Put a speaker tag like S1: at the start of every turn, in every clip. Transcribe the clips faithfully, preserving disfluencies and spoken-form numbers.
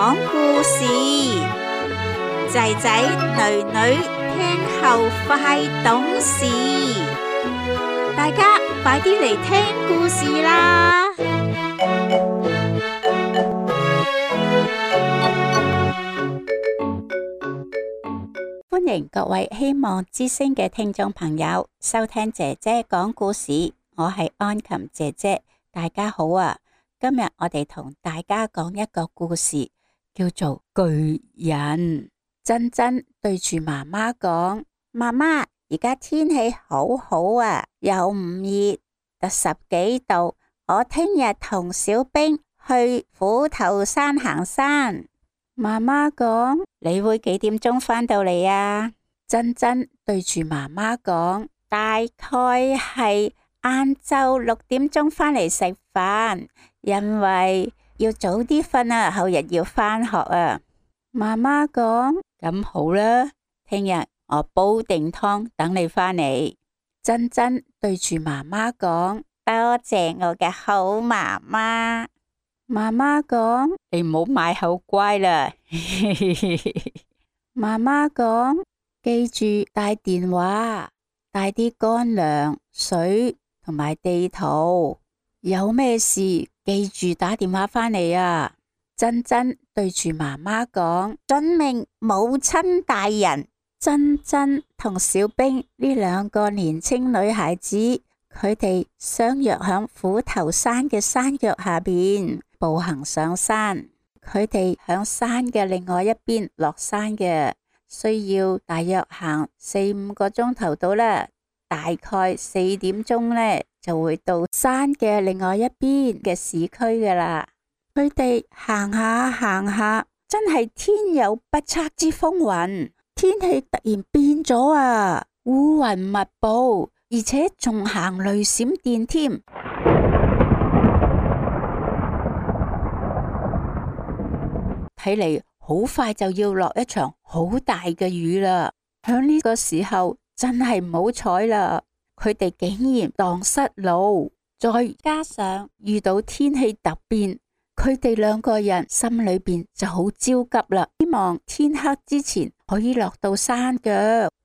S1: 講故事，仔仔女女聽後快懂事，大家快啲嚟聽故事啦！歡迎各位希望之聲嘅聽眾朋友收聽姐姐講故事，我係安琴姐姐，大家好啊！今日我哋同大家講一個故事，叫做巨人。珍珍對住媽媽講：媽媽，而家天氣好好啊，又唔熱，得十幾度。我聽日同小兵去虎頭山行山。媽媽講：你會幾點鐘返到嚟啊？珍珍對住媽媽講：大概係晏晝六點鐘返嚟食飯。因為要早啲瞓啊，後日要返學啊。媽媽講：咁好啦，聽日我煲定湯等你返嚟。珍珍對住媽媽講：多謝我嘅好媽媽。媽媽講：你唔好買口乖啦。媽媽講：記住帶電話，帶啲乾糧、水同埋地圖，有咩事記住打電話返嚟啊！珍珍對住媽媽講：遵命，母親大人。珍珍同小兵呢兩個年輕女孩子，佢哋相約響虎頭山嘅山腳下邊步行上山。佢哋響山嘅另外一邊落山嘅，需要大約行四五個鐘頭到啦。大概四點鐘呢，就會到山嘅另外一邊嘅市區噶啦。佢哋行下行下，真係天有不測之風雲，天氣突然變咗啊，烏雲密布，而且仲行雷閃電添。睇嚟好快就要落一場好大嘅雨啦。響呢個時候真係唔好彩啦，佢哋竟然蕩失路，再加上遇到天氣突變，佢哋兩個人心裏邊就好焦急啦，希望天黑之前可以落到山腳。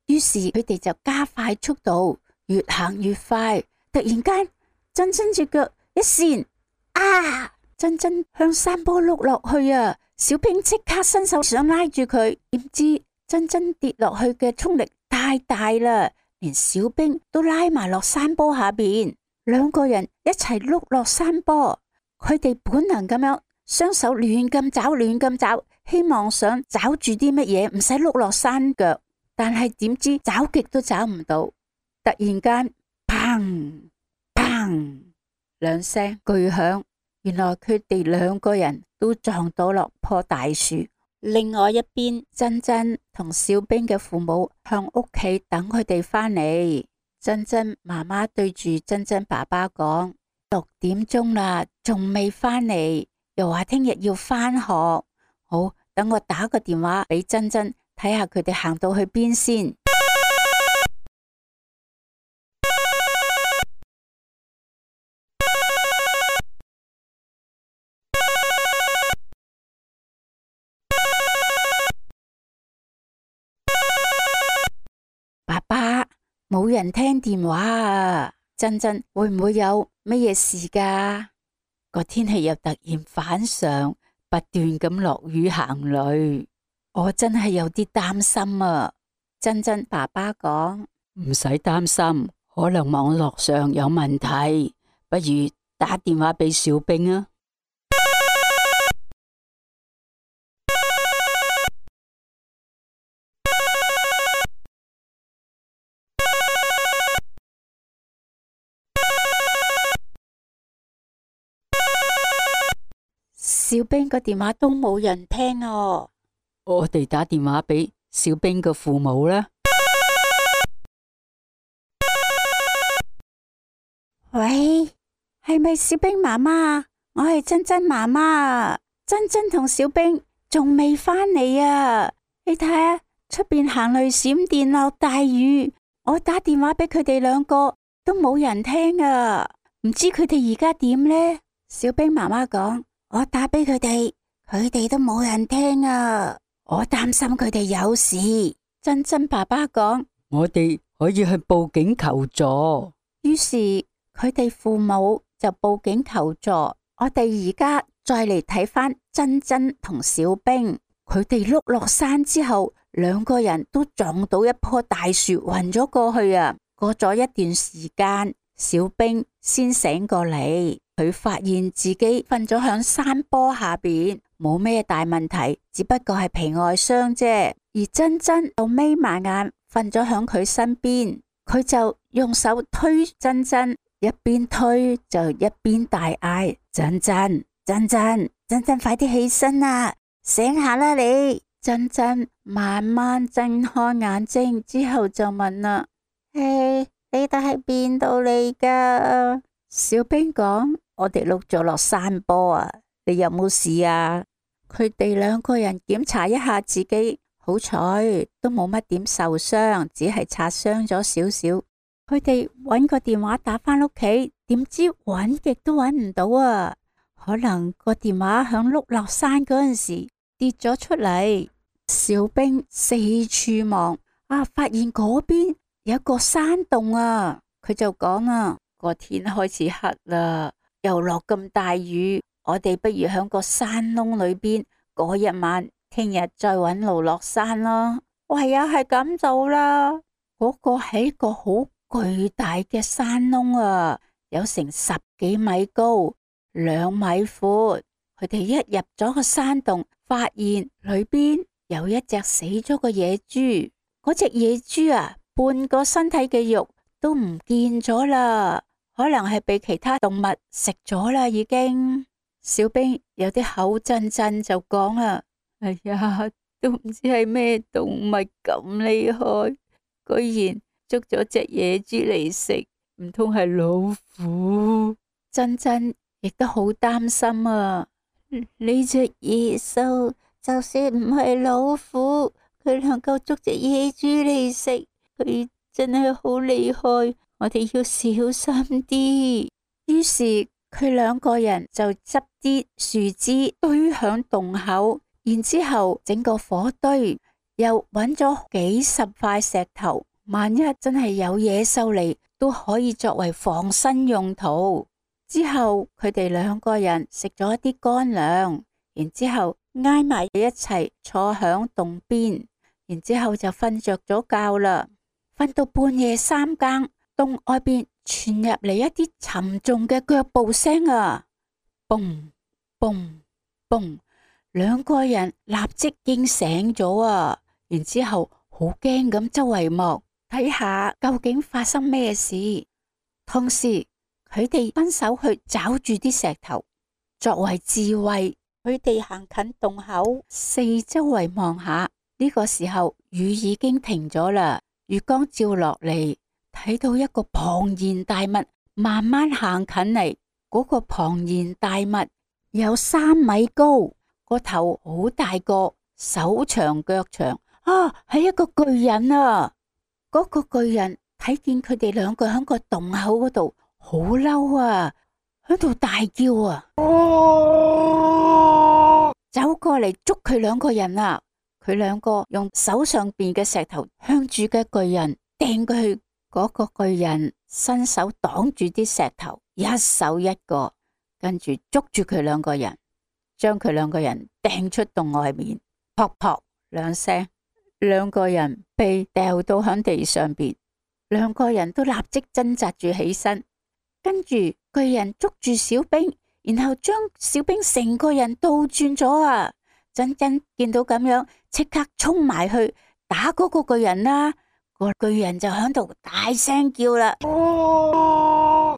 S1: 於是佢哋就加快速度，越行越快。突然間，珍珍隻腳一閃，啊！珍珍向山坡碌落去啊！小兵即刻伸手想拉住佢，點知珍珍跌落去嘅衝力太大啦，連小兵都拉埋落山坡下邊，兩個人一齊碌落山坡。佢哋本能咁樣雙手亂咁找亂咁找，希望想找住啲乜嘢，唔使碌落山腳。但係點知找極都找唔到。突然間，砰砰兩聲巨響，原來佢哋兩個人都撞到落棵大樹。另外一邊，珍珍同小兵嘅父母向屋企等佢哋返嚟。珍珍媽媽對住珍珍爸爸講：六點鐘啦，仲未返嚟，又話聽日要返學。好，等我打個電話俾珍珍，睇下佢哋行到去邊先。爸爸，冇人聽電話啊！珍珍會唔會有乜嘢事㗎？個天氣又突然反常，不斷咁落雨行雷，我真係有啲擔心啊！珍珍爸爸講：唔使擔心，可能網絡上有問題，不如打電話俾小兵啊！小兵個電話都冇人聽哦，我哋打電話俾小兵嘅父母啦。喂，係咪小兵媽媽？我係珍珍媽媽。珍珍同小兵仲未返嚟啊！你睇下出邊行雷閃電落大雨，我打電話俾佢哋兩個都冇人聽啊！唔知佢哋而家點呢？小兵媽媽講：我打俾佢哋，佢哋都冇人聽啊！我擔心佢哋有事。珍珍爸爸講，
S2: 我哋可以去報警求助。
S1: 於是佢哋父母就報警求助。我哋而家再嚟睇翻珍珍同小冰，佢哋碌落山之後，兩個人都撞到一棵大樹，暈咗過去啊！過咗一段時間，小冰先醒過嚟，佢發現自己瞓咗響山坡下邊，冇咩大問題，只不過係皮外傷啫。而珍珍就眯埋眼瞓咗響佢身邊，佢就用手推珍珍，一邊推就一邊大嗌：珍珍，珍珍，珍珍，快啲起身啦，醒下啦你！珍珍慢慢睜開眼睛之後就問啦：嘿，你哋係邊度嚟噶？小冰講：我哋碌咗落山坡啊，你有冇事啊？佢哋兩個人檢查一下自己，好彩都冇乜點受傷，只係擦傷咗少少。佢哋搵個電話打返屋企，點知搵極都搵唔到啊！可能個電話響碌落山嗰陣時跌咗出嚟。小冰四處望，啊，發現嗰邊有個山洞啊！佢就講啊，個天開始黑啦，又落咁大雨，我哋不如響個山窿裏邊過一晚，聽日再搵路落山咯。唯有係咁做啦。嗰個係一個好巨大嘅山窿啊，有成十幾米高，兩米闊。佢哋一入咗個山洞，發現裏邊有一隻死咗個野豬。嗰隻野豬啊，半個身體嘅肉都唔見咗啦，可能係被其他動物食咗啦已經。小冰有啲口震震就講啊：哎呀，都唔知係咩動物咁厲害，居然捉咗隻野豬嚟食，唔通係老虎？珍珍亦都好擔心啊！呢隻野獸就算唔係老虎，佢能夠捉隻野豬嚟食，佢真係好厲害，我哋要小心啲。於是佢兩個人就執啲樹枝堆響洞口，然之後整個火堆，又揾咗幾十塊石頭，萬一真係有野獸嚟，都可以作為防身用途。之後佢哋兩個人食咗一啲乾糧，然之後挨埋一齊坐響洞邊，然之後就瞓着咗覺啦。瞓到半夜三更，洞外邊傳入嚟一啲沉重嘅腳步聲啊！嘣嘣嘣，兩個人立即驚醒咗啊！然之後好驚咁周圍望，睇下究竟發生咩事。同時佢哋分手去找住啲石頭作為智慧。佢哋行近洞口，四周圍望下。呢個時候雨已經停咗啦，月光照落嚟，睇到一個龐然大物慢慢行近嚟。嗰個龐然大物有三米高，個頭好大個，手長腳長啊，係一個巨人啊！嗰個巨人睇見佢哋兩個喺個洞口嗰度，好嬲啊，喺度大叫啊，走過嚟捉佢兩個人啊！佢兩個用手上邊嘅石頭向住嘅巨人掟過去，嗰個巨人伸手擋住啲石頭，一手一個，跟住捉住佢兩個人，將佢兩個人掟出洞外面，撲撲兩聲，兩個人被掉到響地上邊，兩個人都立即掙扎住起身，跟住巨人捉住小冰，然後將小冰成個人倒轉咗啊！珍珍見到咁樣，即刻衝埋去打嗰個巨人啦！個巨人就響度大聲叫啦，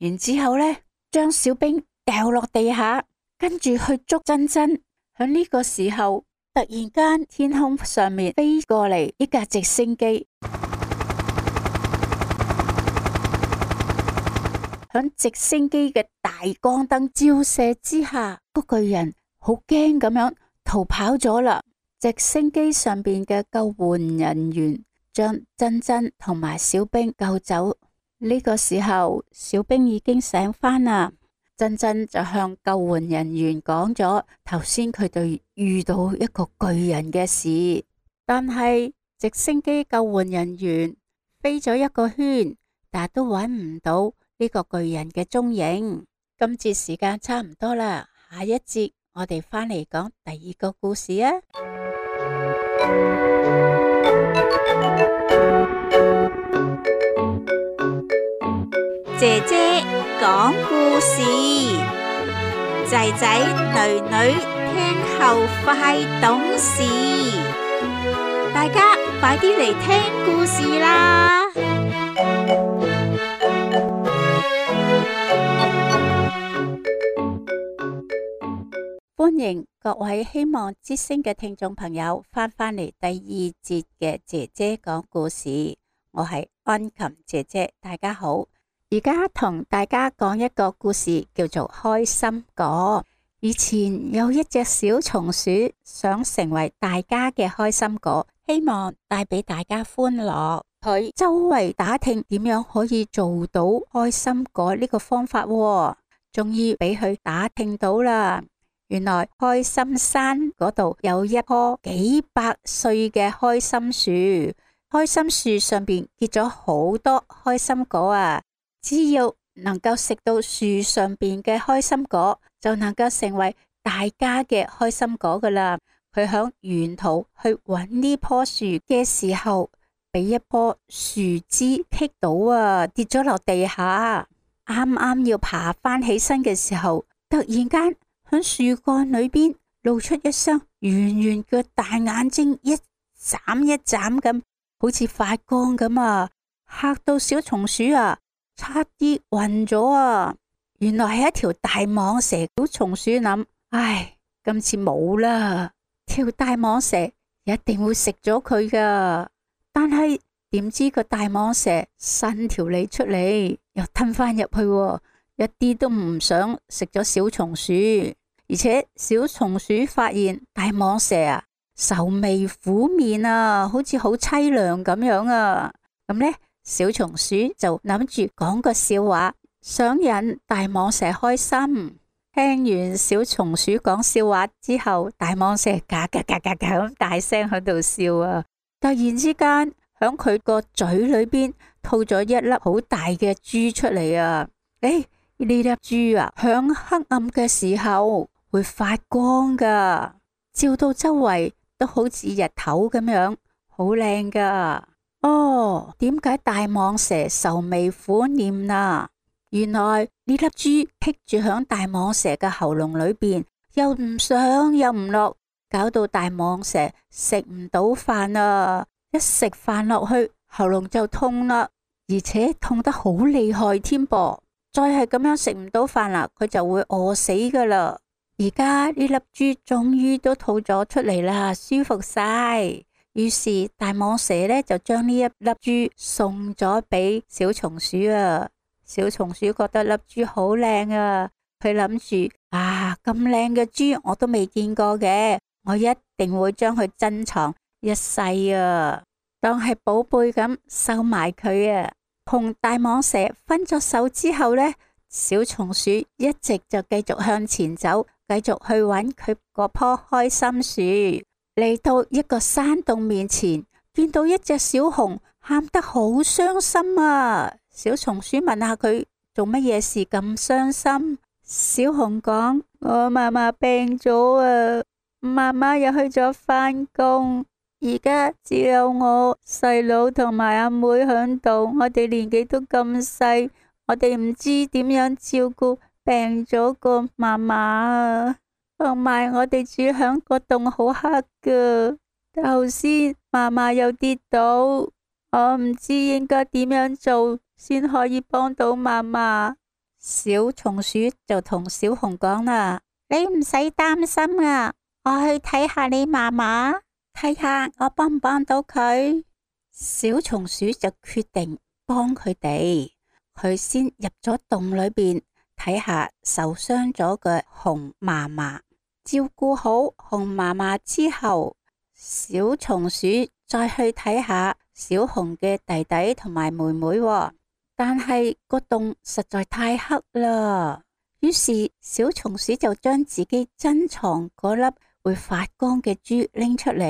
S1: 然之後呢，將小冰掉落地下，跟住去捉珍珍。響呢個時候，突然間天空上面飛過嚟一架直升機，響直升機嘅大光燈照射之下，個巨人好驚咁樣逃跑咗啦。直升機上邊嘅救援人員將珍珍同埋小冰救走。呢個時候，小冰已經醒返啦。珍珍就向救援人員講咗頭先佢哋遇到一個巨人嘅事，但係直升機救援人員飛咗一個圈，但都揾唔到呢個巨人嘅蹤影。今節時間差唔多啦，下一節我哋返嚟講第二個故事啊！
S3: 姐姐講故事，仔仔女女聽後快懂事，大家快啲嚟聽故事啦！
S1: 歡迎各位希望之聲嘅聽眾朋友翻返嚟第二節嘅姐姐講故事，我係安琴姐姐，大家好。而家同大家講一個故事，叫做開心果。以前有一隻小松鼠想成為大家嘅開心果，希望帶俾大家歡樂。佢周圍打聽點樣可以做到開心果呢個方法，終於俾佢打聽到啦。原來開心山嗰度有一棵幾百歲嘅開心樹，開心樹上邊結咗好多開心果啊！只要能夠食到樹上邊嘅開心果，就能夠成為大家嘅開心果噶啦。佢響沿途去揾呢棵樹嘅時候，俾一棵樹枝棘到啊，跌咗落地下。啱啱要爬翻起身嘅時候，突然間響樹幹裏邊露出一雙圓圓嘅大眼睛，一眨一眨咁，好似發光咁啊！嚇到小松鼠啊，差啲暈咗啊！原來係一條大蟒蛇。小松鼠諗：唉，今次冇啦，條大蟒蛇一定會食咗佢噶。但係點知個大蟒蛇伸條脷出嚟，又吞翻入去，一啲都唔想食咗小松鼠。而且小松鼠發現大蟒蛇啊，愁眉苦面啊，好似好淒涼咁樣啊。咁呢，小松鼠就諗住講個笑話，想引大蟒蛇開心。聽完小松鼠講笑話之後，大蟒蛇嘎嘎嘎嘎嘎咁大聲喺度笑啊！突然之間，響佢個嘴裏邊吐咗一粒好大嘅珠出嚟啊！誒，呢粒珠啊，響黑暗嘅時候會發光噶，照到周圍都好似日頭咁樣，好靚噶。哦，點解大蟒蛇愁眉苦臉啊？原來呢粒珠棘住響大蟒蛇嘅喉嚨裏邊，又唔上又唔落，搞到大蟒蛇食唔到飯啊！一食飯落去，喉嚨就痛啦，而且痛得好厲害添噃。再係咁樣食唔到飯啦，佢就會餓死噶啦。而家呢粒珠終於都吐咗出嚟啦，舒服晒。於是大蟒蛇呢就將呢一粒珠送咗俾小松鼠啊。小松鼠覺得粒珠好靚啊，佢諗住啊，咁靚嘅珠我都未見過嘅，我一定會將佢珍藏一世啊，當係寶貝咁收埋佢啊。同大蟒蛇分咗手之後呢，小松鼠一直就繼續向前走，繼續去揾佢嗰棵開心樹。嚟到一個山洞面前，見到一隻小熊喊得好傷心啊！小松鼠問下佢做乜嘢事咁傷心。小熊講：我媽媽病咗啊，媽媽又去咗返工，而家只有我細佬同埋阿妹響度，我哋年紀都咁細，我哋唔知點樣照顧病咗個媽媽啊。同埋我哋住響個洞好黑噶，頭先媽媽又跌倒，我唔知應該點樣做先可以幫到媽媽。小松鼠就同小熊講啦：你唔使擔心啊，我去睇下你媽媽，睇下我幫唔幫到佢。小松鼠就決定幫佢哋，佢先入咗洞裏邊睇下受傷咗嘅熊媽媽。照顧好熊媽媽之後，小松鼠再去睇下小熊嘅弟弟同埋妹妹喎。但係個洞實在太黑啦，於是小松鼠就將自己珍藏嗰粒會發光嘅珠拎出嚟，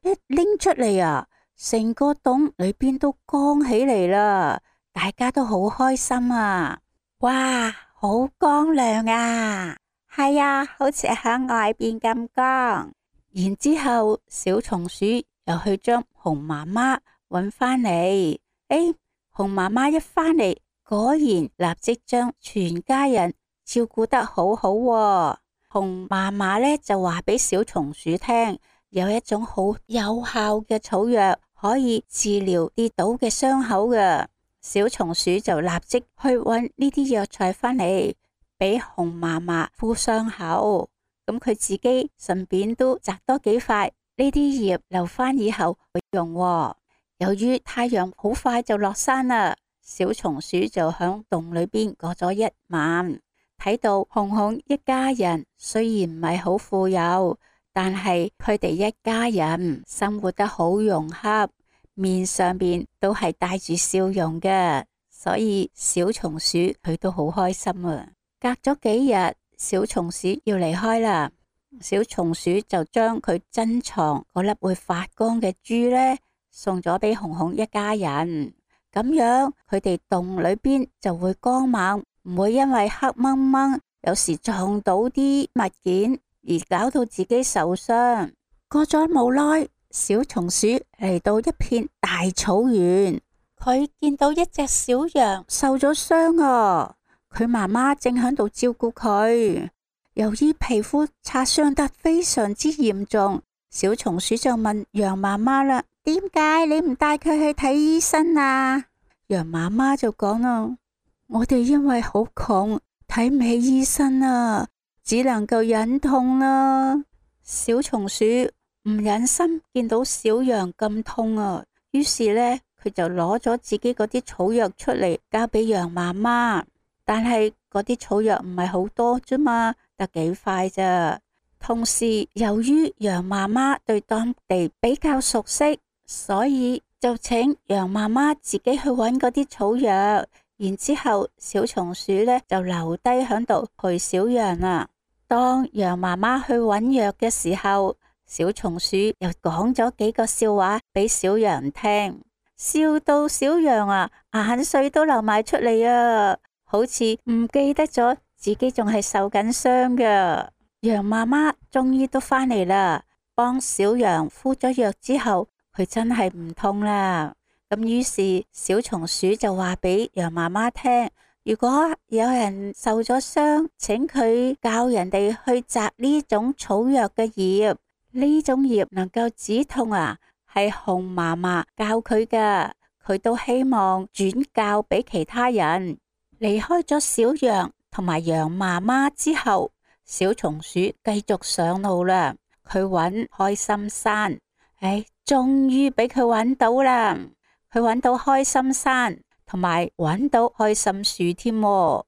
S1: 一拎出嚟啊，成個洞裏邊都光起嚟啦，大家都好開心啊！哇，好光亮啊！係啊，好似喺外邊咁光。然之後小松鼠又去將熊媽媽搵返嚟，誒、哎，熊媽媽一返嚟，果然立即將全家人照顧得好好喎。熊媽媽呢就話俾小松鼠聽，有一種好有效嘅草藥可以治療跌倒嘅傷口嘅。小松鼠就立即去搵呢啲藥材返嚟，俾熊媽媽敷傷口。咁佢自己順便都摘多幾塊呢啲葉留返以後去用喎。由於太陽好快就落山啦，小松鼠就響洞裏邊過咗一晚。睇到熊熊一家人雖然唔係好富有，但係佢哋一家人生活得好融洽，面上邊都係帶住笑容嘅，所以小松鼠佢都好開心啊。隔咗幾日，小松鼠要離開啦，小松鼠就將佢珍藏嗰粒會發光嘅珠呢送咗俾熊熊一家人，咁樣佢哋洞裏邊就會光猛，唔會因為黑掹掹，有時撞到啲物件而搞到自己受傷。過咗冇耐，小松鼠嚟到一片大草原，佢見到一隻小羊受咗傷啊，佢媽媽正喺度照顧佢。由於皮膚擦傷得非常之嚴重，小松鼠就問羊媽媽啦：點解你唔帶佢去睇醫生啊？羊媽媽就講啦：我哋因為好窮，睇唔起醫生啊，只能夠忍痛啦。小松鼠唔忍心見到小羊咁痛啊，於是呢，佢就攞咗自己嗰啲草藥出嚟交俾羊媽媽。但係嗰啲草藥唔係好多啫嘛，得幾塊咋。同時由於羊媽媽對當地比較熟悉，所以就請羊媽媽自己去揾嗰啲草藥。然之後小松鼠呢就留低喺度陪小羊啦。當羊媽媽去揾藥嘅時候，小松鼠又講咗幾個笑話俾小羊聽，笑到小羊啊眼水都流埋出嚟啊，好似唔記得咗自己仲係受緊傷㗎。羊媽媽終於都返嚟啦，幫小羊敷咗藥之後，佢真係唔痛啦。咁於是小松鼠就話俾羊媽媽聽，如果有人受咗傷，請佢教人哋去摘呢種草藥嘅葉，呢種葉能夠止痛啊，係熊媽媽教佢㗎，佢都希望轉教俾其他人。離開咗小羊同埋羊媽媽之後，小松鼠繼續上路啦。佢揾開心山，唉，終於俾佢揾到啦。佢揾到開心山，同埋揾到開心樹添。啱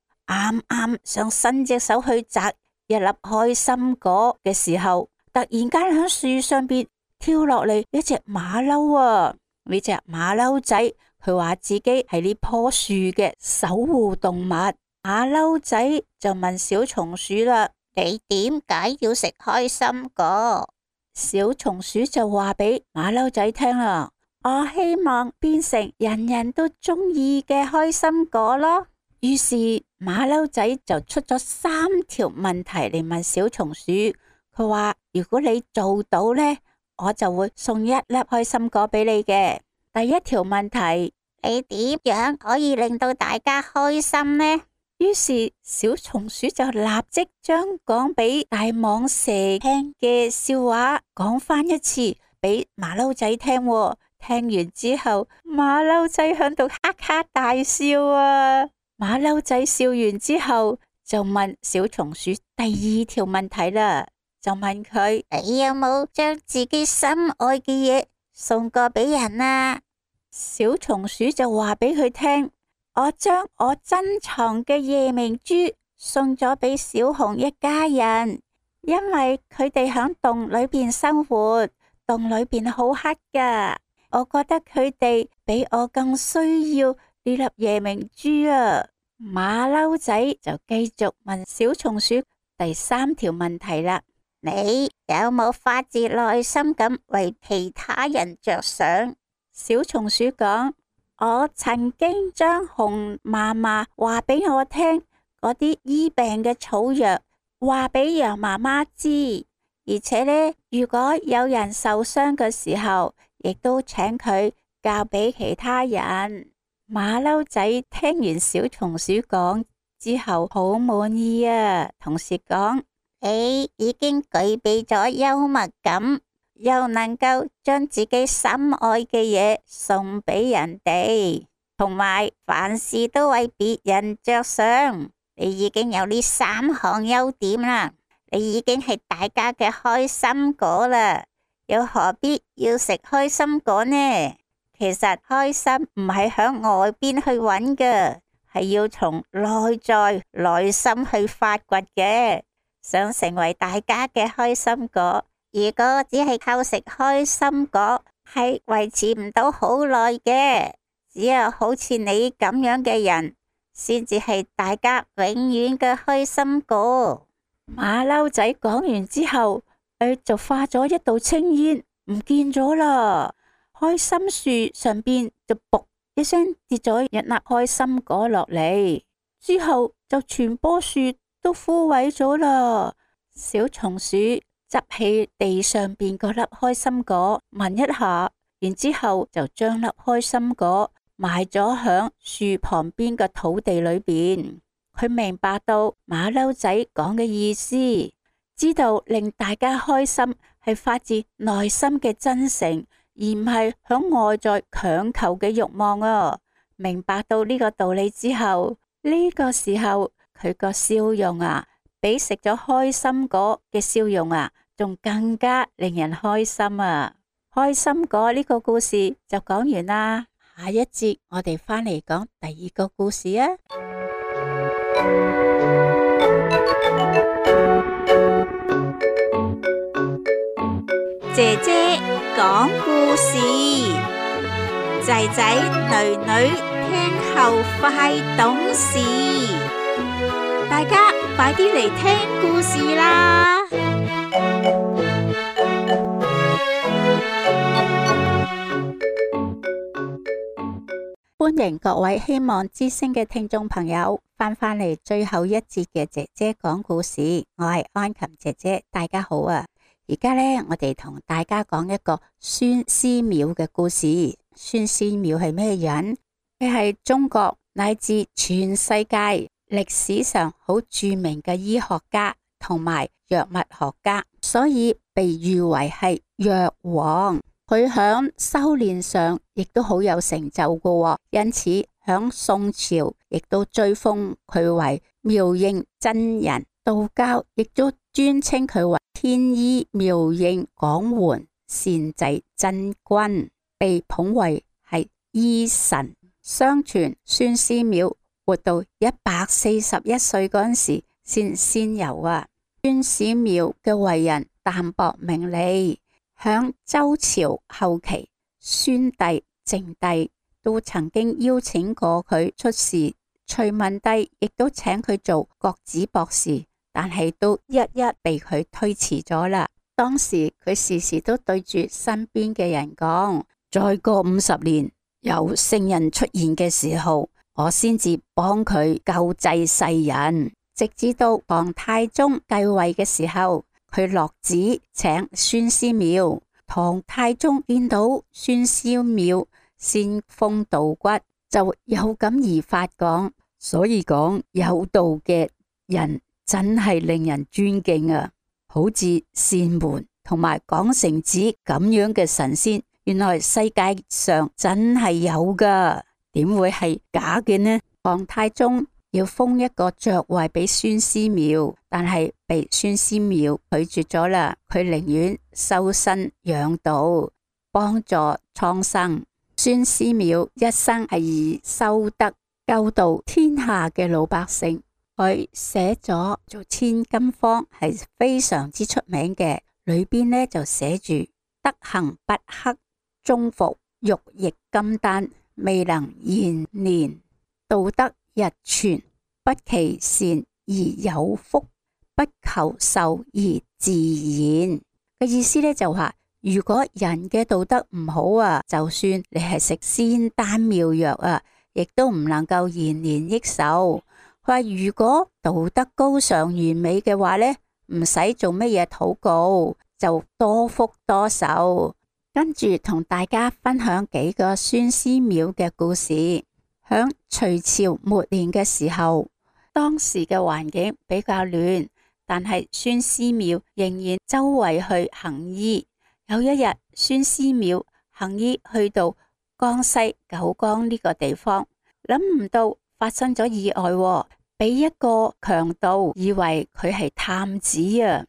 S1: 啱想伸隻手去摘一粒開心果嘅時候，突然間喺樹上邊跳落嚟一隻馬騮啊！呢隻馬騮仔，佢話自己係呢棵樹嘅守護動物。馬騮仔就問小松鼠啦：你點解要食開心果？小松鼠就話俾馬騮仔聽啦：我希望變成人人都中意嘅開心果咯。於是馬騮仔就出咗三條問題嚟問小松鼠，佢話如果你做到呢，我就會送一粒開心果俾你嘅。第一條問題，你點樣可以令到大家開心呢？於是小松鼠就立即將講俾大蟒蛇聽嘅笑話講翻一次俾馬騮仔聽。聽完之後，馬騮仔響度哈哈大笑啊！馬騮仔笑完之後，就問小松鼠第二條問題啦，就問佢：你有冇將自己心愛嘅嘢送過俾人啊？小松鼠就話俾佢聽：我將我珍藏嘅夜明珠送咗俾小熊一家人，因為佢哋響洞裏邊生活，洞裏邊好黑噶。我覺得佢哋比我更需要呢粒夜明珠啊！馬騮仔就繼續問小松鼠第三條問題啦。
S3: 你有冇發自內心咁為其他人着想？
S1: 小松鼠講：我曾經將熊媽媽話俾我聽嗰啲醫病嘅草藥，話俾羊媽媽知，而且呢，如果有人受傷嘅時候，亦都請佢教俾其他人。馬騮仔聽完小松鼠講之後，好滿意啊，同時講：
S3: 你已經具備咗幽默感，又能夠將自己心愛嘅嘢送俾人哋，同埋凡事都為別人着想。你已經有呢三項優點啦，你已經係大家嘅開心果啦，又何必要食開心果呢？其實開心唔係響外邊去揾嘅，係要從內在內心去發掘嘅。想成為大家嘅開心果，如果只係靠食開心果，係維持唔到好耐嘅。只有好似你咁樣嘅人，先至係大家永遠嘅開心果。
S1: 馬騮仔講完之後，佢就化咗一道青煙，唔見咗啦。開心樹上邊就噗一聲跌咗一粒開心果落嚟，之後就全棵樹都枯萎咗啦。小松鼠執起地上邊嗰粒開心果聞一下，然之後就將粒開心果埋咗響樹旁邊嘅土地裏邊。佢明白到馬騮仔講嘅意思，知道令大家開心係發自內心嘅真誠，而唔係響外在強求嘅欲望啊！明白到呢個道理之後，呢個時候佢個笑容啊，比食咗開心果嘅笑容啊，仲更加令人開心啊！開心果呢個故事就講完啦，下一節我哋返嚟講第二個故事啊！
S3: 姐姐講故事，仔仔女女聽後快懂事。大家快啲嚟聽故事啦！
S1: 歡迎各位希望之聲嘅聽眾朋友翻返嚟最後一節嘅姐姐講故事，我係安琴姐姐，大家好啊！而家呢，我哋同大家講一個孫思邈嘅故事。孫思邈係咩人？佢係中國乃至全世界歷史上好著名嘅醫學家同埋藥物學家，所以被譽為係藥王。佢響修煉上亦都好有成就嘅，因此響宋朝亦都追封佢為妙應真人。道教亦都尊稱佢為天醫妙應廣緩善濟真君，被捧為係醫神。相傳孫思邈活到一百四十一歲嗰陣時先仙遊啊。孫思邈嘅為人淡泊名利，響周朝後期，宣帝、靜帝都曾經邀請過佢出仕，隋文帝亦都請佢做國子博士，但係都一一被佢推遲咗啦。當時佢時時都對住身邊嘅人講：再過五十年有聖人出現嘅時候，我先至幫佢救濟世人。直至到唐太宗繼位嘅時候，佢落旨請孫思邈。唐太宗見到孫思邈仙風道骨，就有感而發講：所以講有道嘅人真係令人尊敬啊！好似扇門同埋廣成子咁樣嘅神仙，原來世界上真係有噶，點會係假嘅呢？唐太宗要封一個爵位俾孫思邈，但係被孫思邈拒絕咗啦。佢寧願修身養道，幫助蒼生。孫思邈一生係以修德救度天下嘅老百姓。佢寫咗做千金方係非常之出名嘅，裏邊呢就寫住：德行不克，終服玉液金丹，未能延年；道德日存，不期善而有福，不求壽而自然。嘅意思咧就話，如果人嘅道德唔好啊，就算你係食仙丹妙藥啊，亦都唔能夠延年益壽。佢話如果道德高尚完美嘅話咧，唔使做乜嘢禱告，就多福多壽。跟住同大家分享幾個孫思邈嘅故事。響隋朝末年嘅時候，當時嘅環境比較亂，但係孫思邈仍然周圍去行醫。有一日，孫思邈行醫去到江西九江呢個地方，諗唔到發生咗意外，俾一個強盜以為佢係探子啊！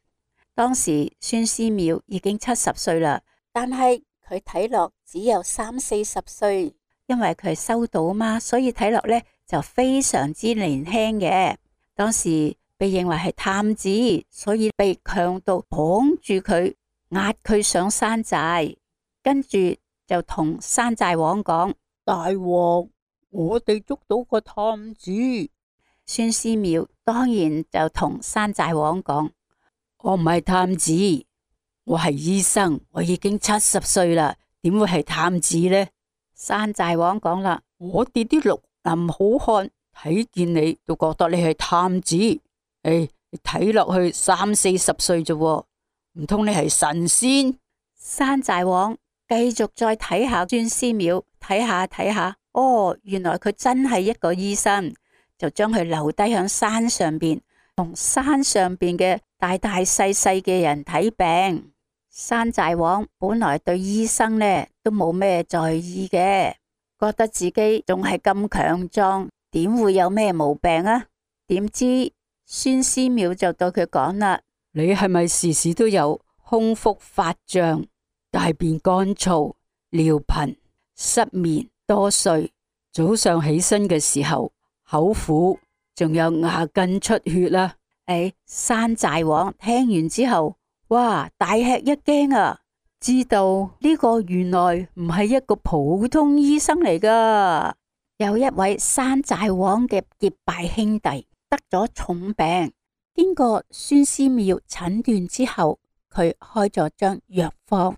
S1: 當時孫思邈已經七十歲啦，但係佢睇落只有三四十歲，因為佢收到嘛，所以睇落呢就非常之年輕嘅。當時被認為係探子，所以被強盜綁住佢，押佢上山寨，跟住就同山寨王講：
S2: 大王，我哋捉到個探子。
S1: 孫思邈當然就同山寨王講：
S2: 我唔係探子，我係醫生，我已經七十歲啦，點會係探子呢？
S1: 山寨王講啦：
S2: 我哋啲綠林好漢睇見你都覺得你係探子，誒、哎，你睇落去三四十歲啫，唔通你係神仙？
S1: 山寨王繼續再睇下孫思邈，睇下睇下，哦，原來佢真係一個醫生，就將佢留低響山上邊，同山上邊嘅大大細細嘅人睇病。山寨王本來對醫生呢都冇咩在意嘅，覺得自己仲係咁強壯，點會有咩毛病啊？點知孫思邈就對佢講啦：
S2: 你係咪時時都有胸腹發脹、大便乾燥、尿頻、失眠、多睡，早上起身嘅時候口苦，仲有牙根出血啦？
S1: 誒，山寨王聽完之後，哇，大吃一驚啊！知道呢個原來唔係一個普通醫生嚟噶，有一位山寨王嘅結拜兄弟得咗重病，經過孫思邈診斷之後，佢開咗張藥方，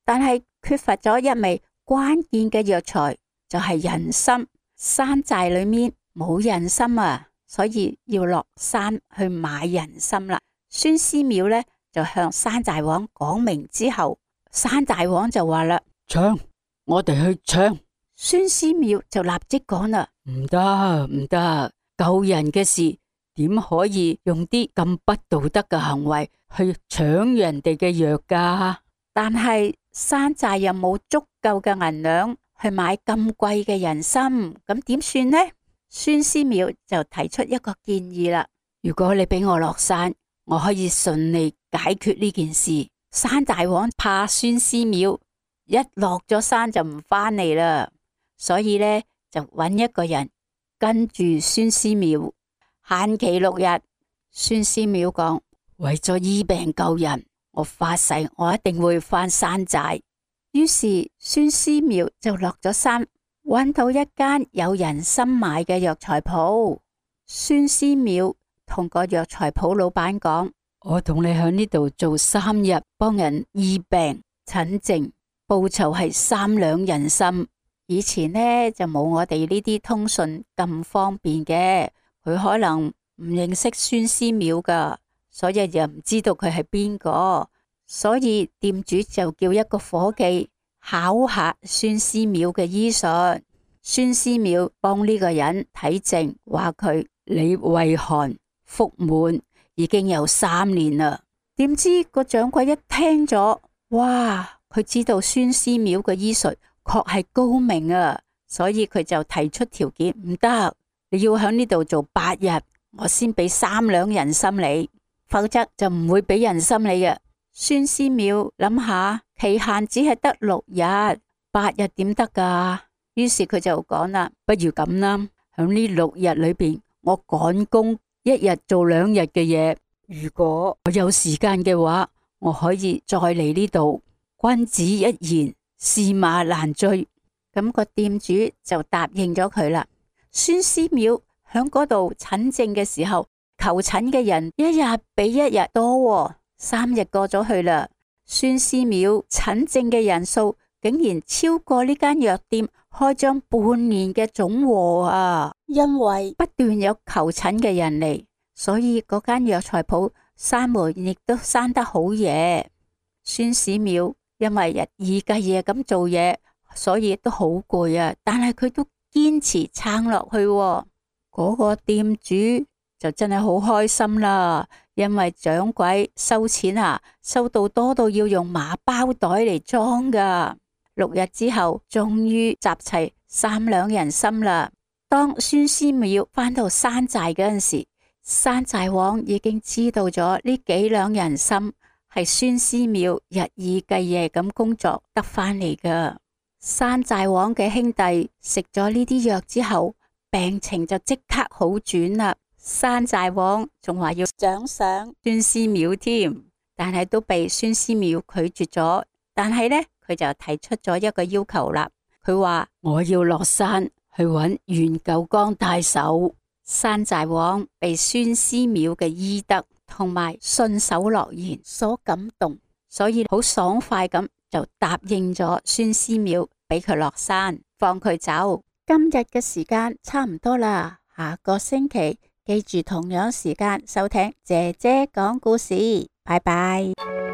S1: 但係缺乏咗一味關鍵嘅藥材，就係人參。山寨裏面冇人參啊，所以要落山去買人參啦。孫思邈呢就向山寨王講明之後，山寨王就話啦：
S2: 搶，我哋去搶。
S1: 孫思邈就立即講啦：
S2: 唔得唔得，救人嘅事點可以用啲咁不道德嘅行為去搶人哋嘅藥㗎？
S1: 但係山寨又冇足夠嘅銀兩去買咁貴嘅人參，咁點算呢？孫思邈就提出一個建議啦：如果你俾我落山，我可以順利解決呢件事。山寨王怕孫思邈一落咗山就唔返嚟啦，所以呢就揾一個人跟住孫思邈，限期六日。孫思邈講：為咗醫病救人，我發誓我一定會返山寨。於是孫思邈就落咗山，揾到一間有人參賣嘅藥材鋪。孫思邈同個藥材鋪老闆講：
S2: 我同你喺呢度做三日，幫人醫病診症，報酬係三兩人參。
S1: 以前呢就冇我哋呢啲通訊咁方便嘅，佢可能唔認識孫思邈噶，所以又唔知道佢係邊個，所以店主就叫一個伙計考下孫思邈嘅醫術。孫思邈幫呢個人睇症，話佢
S2: 你胃寒腹滿已經有三年啦。
S1: 點知個掌櫃一聽咗，哇！佢知道孫思邈嘅醫術確係高明啊，所以佢就提出條件：唔得，你要喺呢度做八日，我先俾三兩人參你，否則就唔會俾人參你嘅。孫思邈諗下，期限只係得六日，八日點得噶？於是佢就講啦：
S2: 不如咁啦，喺呢六日裏邊，我趕工一日做兩日嘅嘢。如果我有時間嘅話，我可以再嚟呢度。君子一言，駟馬難追。
S1: 咁個店主就答應咗佢啦。孫思邈響嗰度診症嘅時候，求診嘅人一日比一日多，三日過咗去啦，孫思邈診症嘅人數竟然超過呢間藥店開張半年嘅總和啊！因為不斷有求診嘅人嚟，所以嗰間藥材鋪閂門亦都閂得好夜。孫思邈因為日以繼夜咁做嘢，所以都好攰啊，但係佢都堅持撐落去。嗰個店主就真係好開心啦，因為掌櫃收錢啊，收到多到要用麻包袋嚟裝噶。六日之後，終於集齊三兩人參啦。當孫思邈返到山寨嗰陣時，山寨王已經知道咗呢幾兩人參係孫思邈日以繼夜咁工作得返嚟噶。山寨王嘅兄弟食咗呢啲藥之後，病情就即刻好轉啦。山寨王仲話要獎賞孫思邈添，但係都被孫思邈拒絕咗。但係呢，佢就提出咗一個要求啦。佢話我要落山去揾袁九江太守。山寨王被孫思邈嘅醫德同埋信守諾言所感動，所以好爽快咁就答應咗孫思邈，俾佢落山放佢走。今日嘅時間差唔多啦，下個星期記住同樣時間收聽姐姐講故事，拜拜。